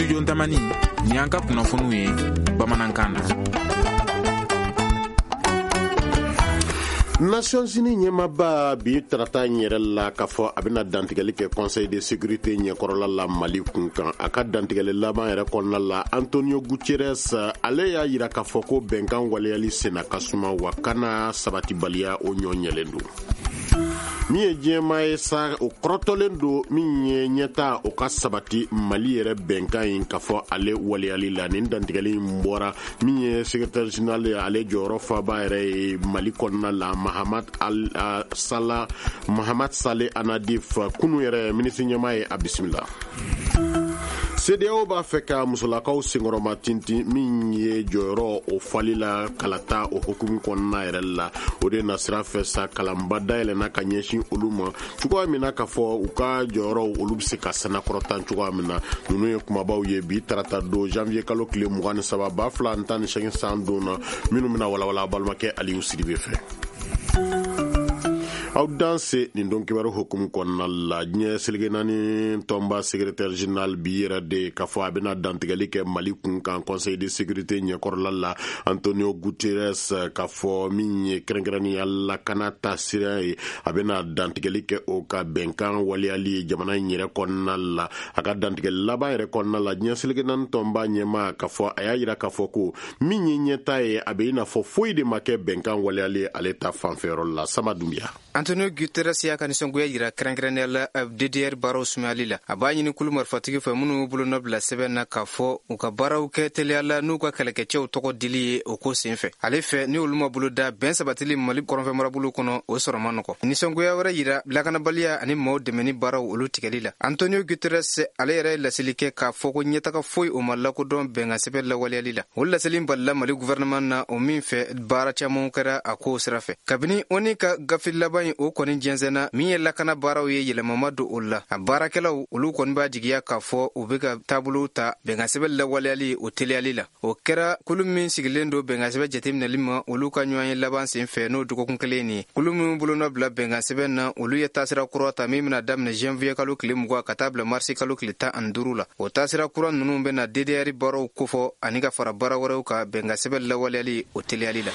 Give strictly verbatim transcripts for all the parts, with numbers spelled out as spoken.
Studio Tamani, ni y'an ka kunnafoniw ye bamanankan na. Nations Unies ɲɛmaaba bi tarata in yɛrɛ la k'a fɔ a bɛna dantigɛli kɛ Conseil de sécurité ɲɛkɔrɔla la Mali kun kan. A ka dantigɛli laban yɛrɛ kɔnɔna la, Antonio Guterres ale y'a yira k'a fɔ ko bɛnkan waleyali senna ka suma, wa kana sabatibaliya o ɲɔ ɲɛlen don. Min ye diɲɛmaa ye sa, o kɔrɔtɔlen don min ye ɲɛta o ka sabati Mali yɛrɛ bɛnkan in k'a fɔ ale waleyali la. Nin dantigɛli in bɔra min ye secrétaire général ye, ale jɔyɔrɔ faba yɛrɛ ye Mali kɔnɔna la, Mahamad Al Salah Mahamad Saleh Annadif. Kunu yɛrɛ minisiri ɲɛmaa ye a bisimila. C E D E A O b'a fɛ ka musolakaw senkɔrɔma tintin min ye jɔyɔrɔ o fali la kalata o hukumu kɔnɔna yɛrɛ la. O de nasira fɛ sa, kalanba dayɛlɛnna ka ɲɛsin olu ma cogoya min na k'a fɔ u ka jɔyɔrɔw olu bɛ se ka sanakɔrɔtan cogoya min na. Ninnu ye kumabaw ye bi tarata don, janvier kalo tile mugan ni saba ba fila ani tan ni seegin san don na, minnu bɛna walawala balimakɛ Aliyu Sidibe fɛ. Aw danse nin don kibaru hukumu kɔnɔna la, diɲɛ seleke naani tɔnba secrétaire général bi yɛrɛ de k'a fɔ a bɛna dantigɛli kɛ Mali kun kan Conseil de sécurité ɲɛkɔrɔla la. Antonio Guterres k'a fɔ min ye kɛrɛnkɛrɛnnenya lakana ta sira ye, a bɛna dantigɛli kɛ o ka bɛnkan waleyali ye jamana in yɛrɛ kɔnɔna la. A ka dantigɛli laban yɛrɛ kɔnɔna la, diɲɛ seleke naani tɔnba ɲɛmaa k'a fɔ a y'a yira k'a fɔ ko min ye ɲɛta ye, a bɛ i n'a fɔ foyi de ma kɛ bɛnkan waleyali ale ta fanfɛyɔrɔ la. Sama Dunbiya. Antonio Guterres y'a ka nisɔngoya yira kɛrɛnkɛrɛnnenya la D D R baaraw sumayali la. A b'a ɲini kulu marifatigi fɛ minnu y'u bolonɔ bila sɛbɛn na k'a fɔ u ka baaraw kɛ teliya la n'u ka kɛlɛkɛcɛw tɔgɔ dili ye o ko sen fɛ. Ale fɛ, ni olu ma bolo da bɛn sabatili Mali kɔrɔnfɛ marabolo kɔnɔ, o sɔrɔ ma nɔgɔ. Nisɔngoya wɛrɛ yira lakanabaliya ani maaw dɛmɛni baaraw olu tigɛli la. Antonio Guterres ale yɛrɛ ye laseli kɛ k'a fɔ ko ɲɛtaga foyi o ma lakodɔn bɛnkan sɛbɛn lawaleyali la. O laseli balila Mali gouvernement na, o min fɛ baara camanw kɛra a kow sira fɛ kabini O N U ka gafe laban in o kɔni jɛnsɛnna. Min ye lakana baaraw ye, yɛlɛmama don o la. A baarakɛlaw olu kɔni b'a jigiya k'a fɔ u be ka taabolo ta bɛnkan sɛbɛn lawaleyali o teliyali la. O kɛra kulu min sigilen don bɛnkan sɛbɛn jateminɛli ma, olu ka ɲɔgɔn ye laban sen fɛ, n'o dɔgɔkun kelen nin ye. Kulu min bolonɔ bila bɛnkan sɛbɛn na, olu ye taasira kura ta min bena daminɛ janvier kalo tile mugan ka taa bila marisi kalo tile tan ani duuru la. O taasira kura nunu bena D D R baaraw kofɔ ani ka fara baara wɛrɛw ka bɛnkan sɛbɛn lawaleyali o teliyali la.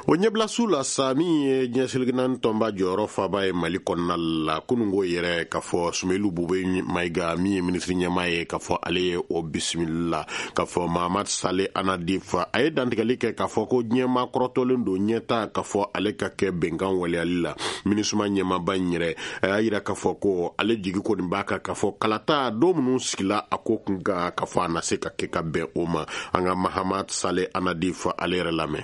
O ɲɛbilasiw la sa, min ye diɲɛ seleke naani tɔnba jɔyɔrɔ faba ye Mali kɔnɔna la, kununko yɛrɛ k'a fɔ Sumelu Bube Mayiga, min ye minisiri ɲɛmaa ye, k'a fɔ ale ye o bisimila k'a fɔ Mahamad Saleh Annadif a ye dantigɛli kɛ k'a fɔ ko diɲɛmaa kɔrɔtɔlen don ɲɛta k'a fɔ ale ka kɛ bɛnkan waleyali la. MINUSMA ɲɛmaaba in yɛrɛ a y'a yira k'a fɔ ko ale jigi kɔni b'a kan k'a fɔ kalata don minnu sigila a ko kun kan, k'a fɔ a na se ka kɛ ka bɛn o ma. An ka Mahamad Saleh Annadif ale yɛrɛ lamɛn.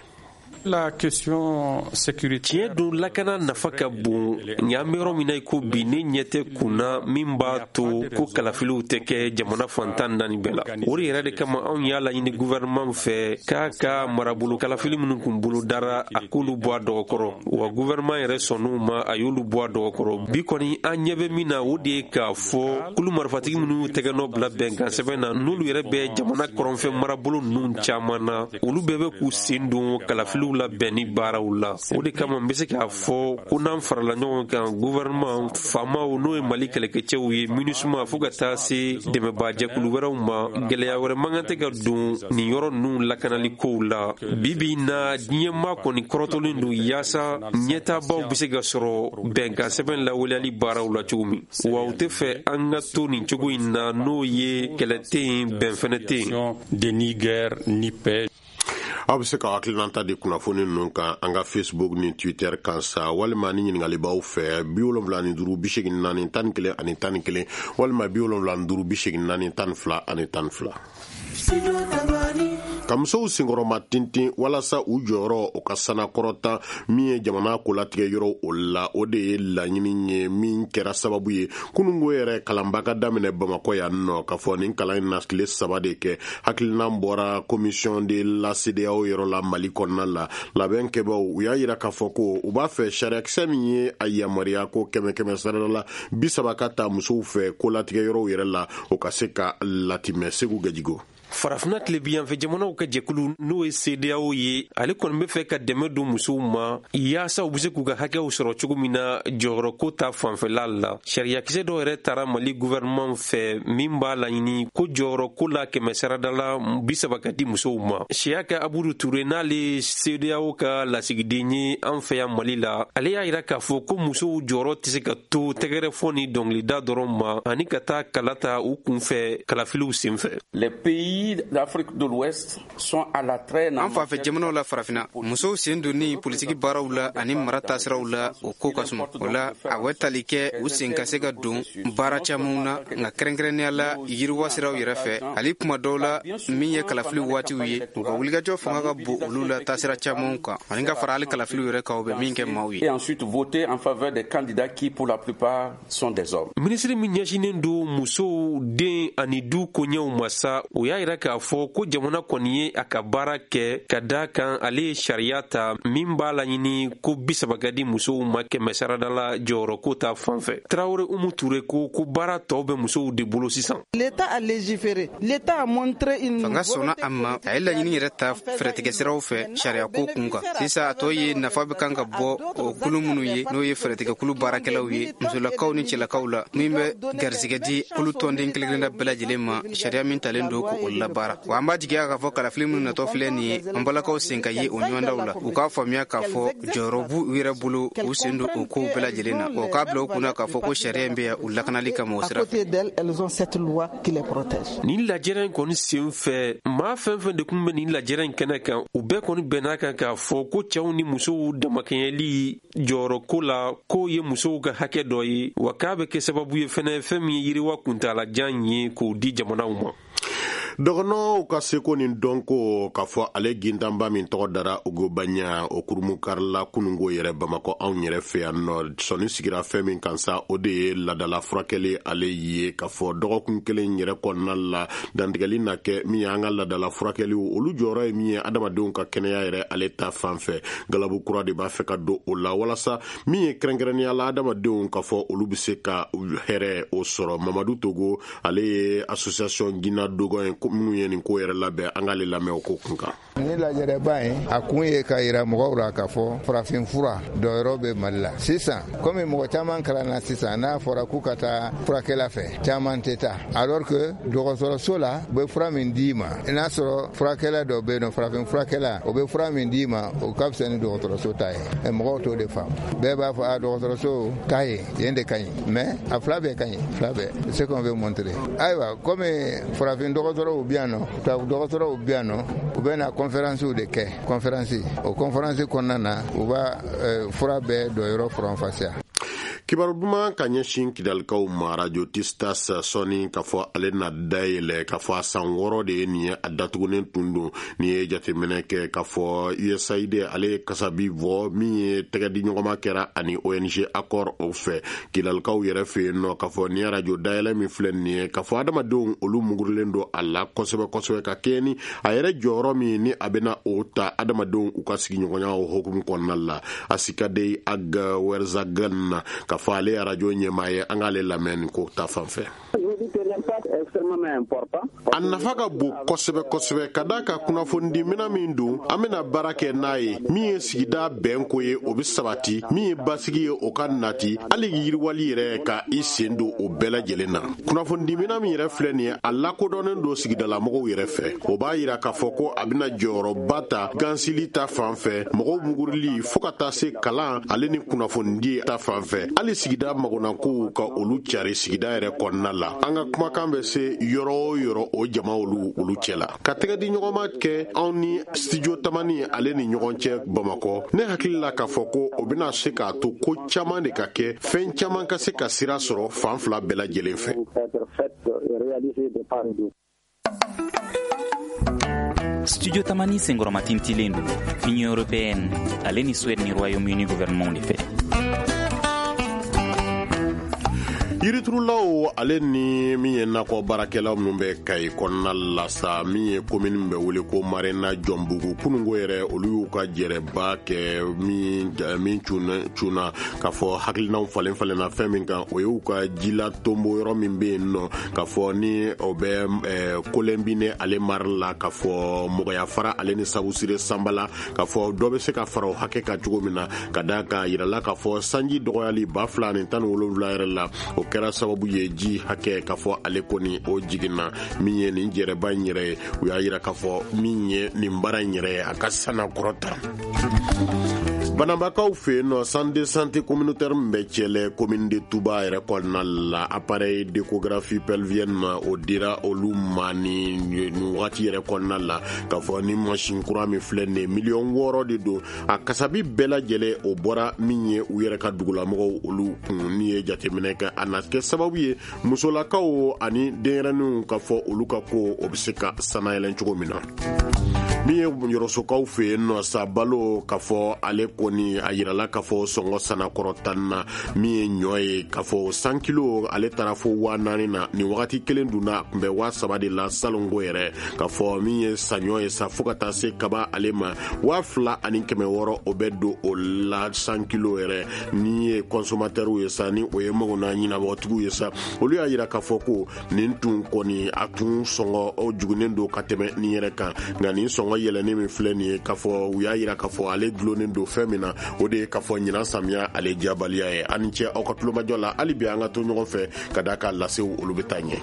La question sécuritaire. Tiɲɛ don, lakana nafa ka bon, nka an bɛ yɔrɔ min na i ko bi, ne ɲɛ tɛ kunna min b'a to ko kalafiliw tɛ kɛ jamana fantan naani bɛɛ la. O de yɛrɛ de kama anw y'a laɲini gouvernement fɛ k'a ka marabolo kalafili minnu kun bolo dara, a k'olu bɔ a dɔgɔkɔrɔ. Wa gouvernement yɛrɛ sɔnn'u ma, a y'olu bɔ a dɔgɔkɔrɔ. Bi kɔni, an ɲɛ bɛ min na, o de ye k'a fɔ kulu marifatigi minnu y'u tɛgɛ nɔ bila bɛnkan sɛbɛn na, n'olu yɛrɛ bɛ jamana kɔrɔnfɛ marabolo ninnu caman na, olu bɛɛ bɛ k'u sen don kalafiliw labɛnni baaraw la. O de kama n bɛ se k'a fɔ ko n'an farala ɲɔgɔn kan, gouvernement, faamaw, n'o ye Mali kɛlɛkɛcɛw ye, MINUSMA, fo ka taa se dɛmɛbaajɛkulu wɛrɛw ma, gɛlɛya wɛrɛ man kan tɛ ka don nin yɔrɔ ninnu lakanali kow la. Bi bi in na, diɲɛmaa kɔni kɔrɔtɔlen don yaasa ɲɛtaabaw bɛ se ka sɔrɔ bɛnkan sɛbɛn lawaleyali baaraw la cogo min wa. U tɛ fɛ an ka to nin cogo in na, n'o ye kɛlɛ tɛ yen, bɛn fɛnɛ tɛ yen. De ni guerre ni paix. Aw bɛ se ka hakilinata di kunnafoni ninnu kan an ka Facebook ni Twitter kan sa, walima ni ɲininkali b'aw fɛ, bi wolonwula ni duuru bi segin naani tan ni kelen ani tan ni kelen, walima bi wolonwula ni duuru bi segin naani tan ni fila ani tan ni fila. Ka musow senkɔrɔma tintin walasa u jɔyɔrɔ o ka sanakɔrɔta min ye jamana kolatigɛ yɔrɔ o la, o de ye laɲini ye min kɛra sababu ye kununko yɛrɛ kalanba ka daminɛ Bamakɔ yan nɔ. K'a fɔ nin kalan in na tile saba de kɛ, hakilinan bɔra Commission de la CEDEAO yɔrɔ la Mali kɔnɔna la. Labɛn kɛbaw u y'a yira k'a fɔ ko u b'a fɛ sariyakisɛ min ye a yamaruya ko kɛmɛ kɛmɛ sarada la bi saba ka ta musow fɛ kolatigɛ yɔrɔw yɛrɛ la, o ka se ka latimɛ. Segu Gajigo. Farafinna tilebiyanfɛ jamanaw ka jɛkulu, n'o ye C E D E A O ye, ale kɔni bɛ fɛ ka dɛmɛ don musow ma yaasa u be se k'u ka hakɛw sɔrɔ cogo min na jɔyɔrɔko ta fanfɛla la. Sariyakisɛ dɔw yɛrɛ tara Mali gouvernement fɛ min b'a laɲini ko jɔyɔrɔko la kɛmɛ sarada la bi saba ka di musow ma. Siyaka Abudu Ture, n'ale ye C E D E A O ka lasigiden ye an fɛ yan Mali la, ale y'a yira k'a fɔ ko musow jɔyɔrɔ tɛ se ka to tɛgɛrɛfɔ ni dɔngilida dɔrɔn ma, ani ka taa kala ta u kunfɛ kalafiliw senfɛ. Les pays d'Afrique de l'Ouest sont à la traîne. An fanfɛ jamanaw la Farafina, musow sen donni politiki baaraw la ani mara taasiraw la, o ko ka suma. O la, a bɛ tali kɛ u sen ka se ka don baara camanw na, nka kɛrɛnkɛrɛnnenya la yiriwa siraw yɛrɛ fɛ. Hali kuma dɔw la, min ye kalafili waatiw ye, u ka wulikajɔ fanga ka bon olu la taasira camanw kan, ani ka fara hali kalafiliw yɛrɛ kan, u bɛ min kɛ maaw ye. Et ensuite voter en faveur des candidats qui, pour la plupart, sont des hommes. Minisiri min ɲɛsinnen don musow, den ani du koɲɛw ma sa, o y'a yira k'a fɔ ko jamana kɔni ye a ka baara kɛ, ka daa kan ale ye sariya ta min b'a laɲini ko bi saba ka di musow ma kɛmɛ sarada la jɔyɔrɔko ta fan fɛ. Tarawele Umu Ture ko ko baara tɔw bɛ musow de bolo sisan. L'État a légiféré. L'État a montré une Fanga sɔnna a ma, a ye laɲini yɛrɛ ta fɛɛrɛtigɛ siraw fɛ sariyako kun kan. Sisan, a tɔ ye nafa bɛ kan ka bɔ o kulu minnu ye, n'o ye fɛɛrɛtigɛkulu baarakɛlaw ye, musolakaw ni cɛlakaw la, min bɛ garisɛgɛ di kulu tɔnden kelen kelenna bɛɛ lajɛlen ma, sariya min talen don k'o labaara. Wa an b'a jigiya k'a fɔ kalafili minnu natɔ filɛ nin ye, an balakaw sen ka ye o ɲɔgɔndaw la, u k'a faamuya k'a fɔ jɔyɔrɔ b'u yɛrɛ bolo, u sen don o kow bɛɛ lajɛlen na, o k'a bila u kunna k'a fɔ ko sariya in bɛ yan u lakanali kama o À sira fɛ. Côté d'elles, elles ont cette loi qui les protège. Nin lajɛrɛ in kɔni sen fɛ, maa fɛn fɛn de kun bɛ nin lajɛrɛ in kɛnɛ kan, u bɛɛ kɔni bɛn'a kan k'a fɔ ko cɛw ni musow damakɛɲɛli jɔyɔrɔko la, k'o ye musow ka hakɛ dɔ ye, wa k'a bɛ kɛ sababu ye fɛnɛ fɛn min ye yiriwa kuntalajan ye k'o di jamanaw ma. Dɔgɔnɔw ka seko ni dɔnko, k'a fɔ ale gintanba min tɔgɔ dara Ugobanya, o kurumukarila kunungo yɛrɛ Bamakɔ anw yɛrɛ fɛ yan nɔ. Sɔni sigira fɛn min kan sa, o de ye ladala furakɛli ale ye, k'a fɔ dɔgɔkun kelen yɛrɛ kɔnɔna la, dantigɛli na kɛ min ye an ka ladala furakɛliw, olu jɔyɔrɔ ye min ye adamadenw ka kɛnɛya yɛrɛ ale ta fan fɛ. Galabu kura de b'a fɛ ka don o la, walasa min ye kɛrɛnkɛrɛnnenya la adamadenw, k'a fɔ olu bɛ se ka hɛrɛ o sɔrɔ. Mamadu Togo, ale ye association Gina Dogon ye minnu ye nin ko yɛrɛ labɛn, an k'ale lamɛn o ko kun kan. Ni lajɛrɛba in, a kun ye ka yira mɔgɔw la k'a fɔ farafin fura dɔyɔrɔ bɛ Mali la sisan. Komi mɔgɔ caman kalanna sisan, n'a fɔra k'u ka taa furakɛla fɛ, caman tɛ taa, alors que dɔgɔtɔrɔso la, u bɛ fura min d'i ma, i n'a sɔrɔ furakɛla dɔ bɛ yen nɔ, farafin furakɛla, o bɛ fura min d'i ma, o ka fisa ni dɔgɔtɔrɔso ta ye. Mɔgɔw t'o de faamu. Bɛɛ b'a fɔ a dɔgɔtɔrɔso ta ye yen de ka ɲi, mais a fila bɛɛ ka ɲi, fila bɛɛ, ce qu'on veut montrer. Ayiwa, komi farafin dɔgɔtɔrɔw bɛ yan nɔ, tubabu dɔgɔtɔrɔw bɛ yan nɔ, u bɛ na conférence de kɛ. Conférence, o conférence kɔnɔna na, u b'a fura bɛɛ dɔyɔrɔ faranfasiya. Kibaru duman ka ɲɛsin Kidalikaw ma: Radio Tistas sɔni k'a fɔ ale na dayɛlɛ, k'a fɔ a san wɔɔrɔ de ye nin ye a datugunen tun don. Ni ye jateminɛ kɛ k'a fɔ U S A I D ale ye kasabi bɔ min ye tɛgɛ di ɲɔgɔnma kɛra ani O N G Accord o fɛ Kidalikaw yɛrɛ fɛ yen nɔ, k'a fɔ ni radio dayɛlɛ min filɛ nin ye, k'a fɔ adamadenw olu mugurilen don a la kosɛbɛ kosɛbɛ, ka kɛɲɛ ni a yɛrɛ jɔyɔrɔ min ni a bɛna o ta adamadenw u ka sigiɲɔgɔnya o hukumu kɔnɔna la. Asikadei Ag Werzagan, k'a fɔ ale arajo ɲɛmaa ye, an k'ale lamɛn nin ko ta fan fɛ. A nafa ka bon kosɛbɛ kosɛbɛ, ka da ka kunnafonidimina min don, an bɛna baara kɛ n'a ye, min ye sigida bɛnko ye, o bɛ sabati, min ye basigi ye, o ka nati, hali yiriwali yɛrɛ ka i sen don o bɛɛ lajɛlen na. Kunnafonidimina min yɛrɛ filɛ nin ye, a lakodɔnnen don sigidalamɔgɔw yɛrɛ fɛ. O b'a yira k'a fɔ ko a bɛna jɔyɔrɔba ta gansili ta fan fɛ, mɔgɔw mugurili, fɔɔ ka taa se kalan ale ni kunnafonidi ta fan fɛ, hali sigida magonakow ka olu cari sigida yɛrɛ kɔnɔna la. An ka kumakan bɛ se yɔrɔ o yɔrɔ, o jama olu olu cɛ la, ka tɛgɛ di ɲɔgɔnma kɛ anw ni Studio Tamani ale ni ɲɔgɔn cɛ Bamakɔ. Ne hakili la k'a fɔ ko o bɛna se k'a to ko caman de ka kɛ, fɛn caman ka se ka sira sɔrɔ fan fila bɛɛ lajɛlen fɛ. Studio Tamani senkɔrɔmatintilen don Union européenne ale ni Suède ni Royaume-Uni gouvernement de fɛ. Yiriturulaw ale ni min ye nakɔ baarakɛlaw minnu bɛ Kayi kɔnɔna la sa, min ye commune min bɛ wele ko Marena Jɔnbugu, kununko yɛrɛ olu y'u ka jɛrɛba kɛ min min cunna k'a fɔ hakilinaw falen falenna fɛn min kan, o y'u ka jila tonbo yɔrɔ min bɛ yen nɔ, k'a fɔ ni o bɛ Kolɛnbine ale mara la, k'a fɔ Mɔgɔya fara ale ni Sabusire Sanbala, k'a fɔ dɔ bɛ se ka fara o hakɛ kan cogo min na, ka d'a kan yirala k'a fɔ sanji dɔgɔyali ba fila ni tan ni wolonwula yɛrɛ la, o kɛra sababu ye ji hakɛ k'a fɔ ale kɔni o jiginna. Min ye nin jɛrɛba in yɛrɛ ye, u y'a yira k'a fɔ min ye nin baara in yɛrɛ ye, a ka sana kɔrɔta. Banabakaw fɛ yen nɔ, centre de santé communautaire min bɛ Cɛlɛ, commune de Touba yɛrɛ kɔnɔna la, appareil d'échographie pelvienne ma o dira olu ma ni nin wagati yɛrɛ kɔnɔna la, k'a fɔ ni mansin kura min filɛ nin ye, miliyɔn wɔɔrɔ de don. A kasabi bɛɛ lajɛlen o bɔra min ye u yɛrɛ ka dugulamɔgɔw olu kun. Ni ye jateminɛ kɛ, a na kɛ sababu ye musolakaw ani denyɛrɛninw ka fɔ olu ka ko o bɛ se ka sanayɛlɛn cogo min na. Min ye Yɔrɔsokaw fɛ yen nɔ sa, balo k'a fɔ ale kɔni a yirala k'a fɔ sɔngɔ sanakɔrɔ tan na. Min ye ɲɔ ye, k'a fɔ san kilo ale taara fo waa naani na, nin wagati kelen dunna a tun bɛ waa saba de la salongo yɛrɛ. K'a fɔ min ye saɲɔ ye sa, fo ka taa se kaba ale ma waa fila ani kɛmɛ wɔɔrɔ, o bɛ don o la san kilo yɛrɛ. Ni ye consommateur ye sa, ni o ye magona ɲinabɔtigiw ye sa, olu y'a yira k'a fɔ ko nin tun kɔni a tun sɔngɔ o jugunen don ka tɛmɛ nin yɛrɛ kan. Nka nin sɔngɔ yɛlɛnni min filɛ nin ye, k'a fɔ u y'a yira k'a fɔ ale dulonnen don fɛn min na, o de ye k'a fɔ ɲinan samiya ale diyabaliya ye. Ani cɛ aw ka tulomajɔ la, hali bi an ka to ɲɔgɔn fɛ ka d'a ka lasew olu bɛ taa ɲɛ.